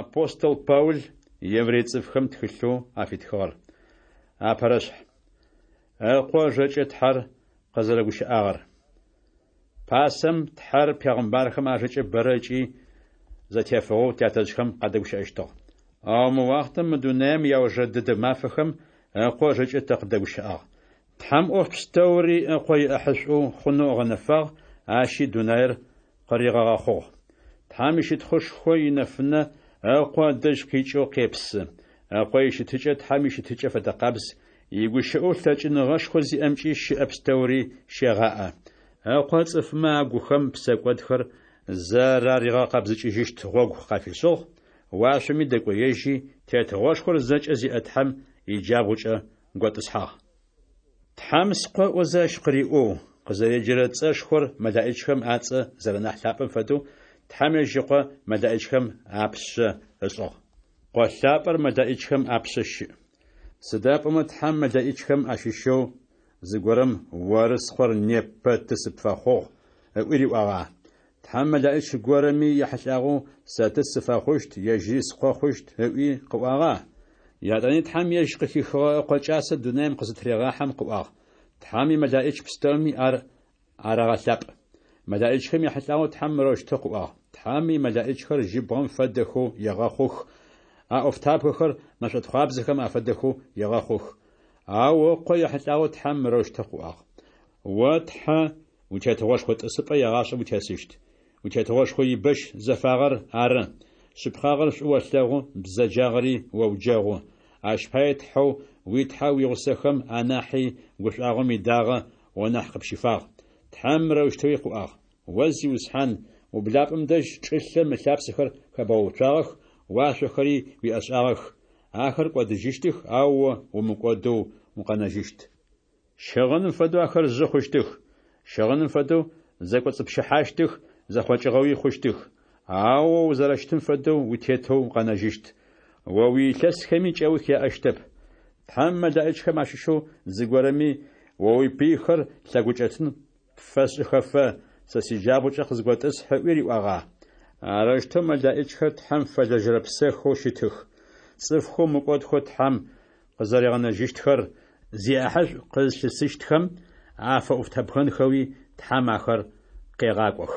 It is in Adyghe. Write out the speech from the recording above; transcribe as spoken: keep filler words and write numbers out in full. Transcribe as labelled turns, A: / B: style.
A: Апостол Паул еврей цӏыфхэм тхылъэу афитхыгъэр. Апэрэшъхь. Ыкъо ыжэкӏэ Тхьэр къызэрэгущыӏагъэр. Пасэм Тхьэр пегъымбархэм ажэкӏэ бэрэ ыкӏи зэтефыгъэу тятэжъхэм къадэгущыӏэщтыгъ. Ау мы уахътэм мы дунаем иаужрэ дэдэ мафэхэм Ыкъо ыжэкӏэ тэ къыддэгущыӏагъ. Тхьэм ӏоф пстэури Ыкъо иӏэхьышӏоу хъунэу ыгъэнэфагъ, ащи дунаер къыригъэгъэхъугъ. Тхьэм ищытхъушхо инэфынэ Ыкъо ыдэжь къикӏэу къепсы. Ыкъо ищытыкӏэ Тхьэм ищытыкӏэ фэдэкъабз, игущыӏэу лъэкӏыныгъэшхо зиӏэмкӏи щыӏэ пстэури щегъаӏэ. Ыкъо цӏыфмэ агухэм псэкӏодхэр зэраригъэкъэбзыкӏыжьыщт гъогу къафишӏыгъ, уашъоми дэкӏоежьи, тетыгъошхор зэкӏэ зиӏэ Тхьэм иджабгъукӏэ готӏысхьагъ. Тхьэм Скъо ыӏозэ ащ къыриӏоу, къызэреджэрэ цӏэшхор мэлэӏичхэм ацӏэ зэрэнахь лъапӏэм фэдэу, Тхьэм ежь Ыкъо мэлэӏичхэм апшъэ ышӏыгъ. Къо лъапӏэр мэлэӏичхэм апшъэ щыӏ. Сыда пӏомэ Тхьэм мэлэӏичхэм ащыщэу зыгорэм «Оры Скъор, непэ Ты сыпфэхъугъ» ыӏуи риӏуагъа? Тхьэм мэлэӏич горэми ехьылӏагъэу «Сэ Ты сыфэхъущт, ежьыри Скъо хъущт» ыӏуи къыӏуагъа? Етӏани Тхьэм ежь къыхихыгъэ Ыкъо кӏасэ дунаем къызытырегъахьэм къыӏуагъ: «Тхьэм имэлэӏич пстэуми ар арэгъэлъапӏ». Мэлэӏичхэм яхьылӏагъэу Тхьэм мырэущтэу къыӏуагъ: «Тхьэм имэлэӏичхэр жьыбгъэм фэдэхэу егъэхъух, а ӏофтабгэхэр мэшӏотхъуабзэхэм афэдэхэу егъэхъух». Ау Ыкъо ехьылӏагъэу Тхьэм мырэущтэу къыӏуагъ: «О Тхьэ, уитетыгъошхо тӏысыпӏэ егъашӏэм утесыщт. Уитетыгъошхо ибэщ зэфагъэр ары. Шъыпкъагъэр шӏу олъэгъу, бзэджагъэри оуджэгъу. Ащ пае Тхьэу уи Тхьэ уигъусэхэм анахьи гушӏуагъом идагъэ о нахь къыпщифагъ». Тхьэм мырэущтэуи къыӏуагъ: «О Зиусхьан, ублапӏэм дэжь чӏылъэм ылъапсэхэр хэбгъэуцуагъэх, уашъохэри уиӏэшӏагъэх. Ахэр кӏодыжьыщтых, ау о умыкӏодэу укъэнэжьыщт. Щыгъыным фэдэу ахэр жъы хъущтых, щыгъыным фэдэу зэкӏоцӏыпщыхьащтых, зэхъокӏыгъэуи хъущтых. Ау о узэрэщытым фэдэу утетэу укъэнэжьыщт. О уиилъэсхэми кӏэух яӏэщтэп. Тхьэм мэлэӏичхэм ащыщэу зыгорэми «О уипыйхэр лъэгукӏэтын пфэсшӏыхэфэ, сэ сиджабгъукӏэ къызготӏысхь» ыӏуи риӏуагъа? Арэущтэу мэлэӏичхэр Тхьэм фэлэжьэрэ псэхэу щытых. Цӏыфхэу мыкӏодхэу Тхьэм къызэригъэнэжьыщтхэр зиӏахьышӏу къызлъысыщтхэм афэӏофтабгэнхэуи Тхьэм ахэр къегъакӏох.